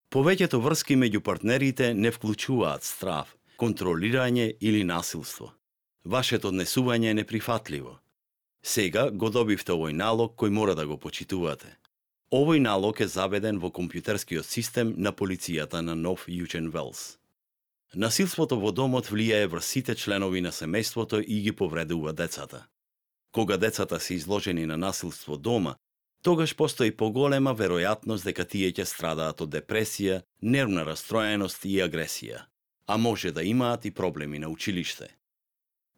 Повеќето врски меѓу партнерите не вклучуваат страв, контролирање или насилство. Вашето однесување е неприфатливо. Сега го добивте овој налог кој мора да го почитувате. Овој налог е заведен во компјутерскиот систем на полицијата на Нов Јужен Велс. Насилството во домот влијае врз сите членови на семејството и ги повредува децата. Кога децата се изложени на насилство дома, тогаш постои поголема веројатност дека тие ќе страдаат од депресија, нервна растроеност и агресија, а може да имаат и проблеми на училиште.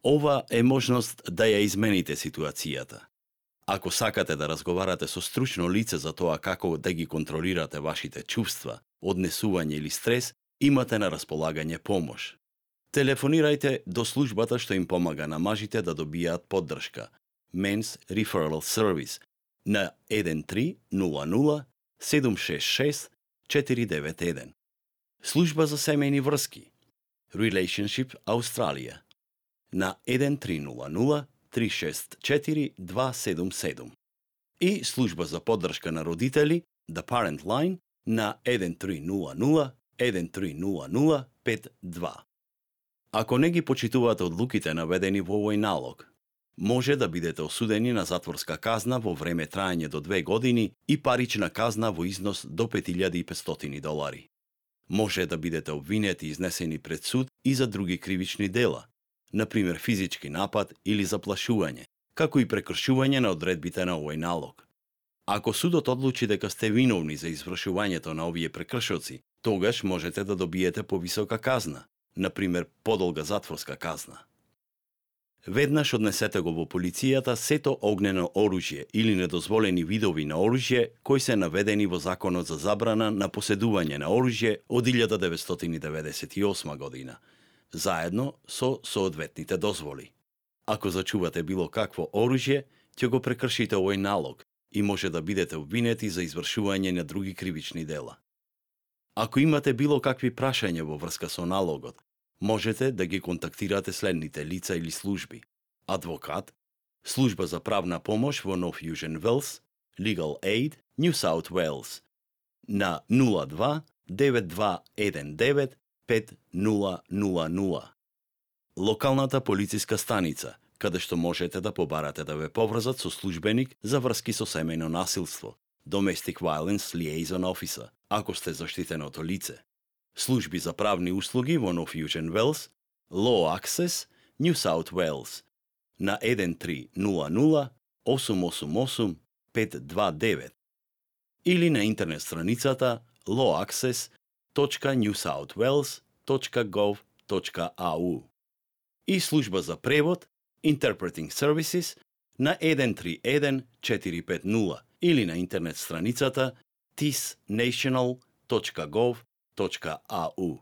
Ова е можност да ја измените ситуацијата. Ако сакате да разговарате со стручно лице за тоа како да ги контролирате вашите чувства, однесување или стрес, имате на располагање помош. Телефонирајте до службата што им помага на мажите да добијаат поддршка, Men's Referral Service, на 1300 766 491. Служба за семејни врски, Relationship Australia, на 1300 364 277. И служба за поддршка на родители, The Parent Line, на 1300 1300 52. Ако не ги почитувате одлуките наведени во овој налог, може да бидете осудени на затворска казна во време траење до 2 години и парична казна во износ до $5,500. Може да бидете обвинети и изнесени пред суд и за други кривични дела, например физички напад или заплашување, како и прекршување на одредбите на овој налог. Ако судот одлучи дека сте виновни за извршувањето на овие прекршоци, тогаш можете да добиете повисока казна, например подолга затворска казна. Веднаш однесете го во полицијата сето огнено оружје или недозволени видови на оружје кои се наведени во Законот за забрана на поседување на оружје од 1998 година, заедно со соодветните дозволи. Ако зачувате било какво оружје, ќе го прекршите овој налог и може да бидете обвинети за извршување на други кривични дела. Ако имате било какви прашања во врска со налогот, можете да ги контактирате следните лица или служби: адвокат, служба за правна помош во Нов Јужен Велс, Legal Aid, New South Wales, на 02 9219 5000. Локалната полициска станица, каде што можете да побарате да ве поврзат со службеник за врски со семејно насилство, Domestic Violence Liaison Officer, ако сте заштитеното лице. Служби за правни услуги во Нов Јужен Велс, Law Access, New South Wales, на 1300 888 529 или на интернет страницата lawaccess.newsouthwales.gov.au и служба за превод Interpreting Services на 131 450 или на интернет страницата tisnational.gov.au.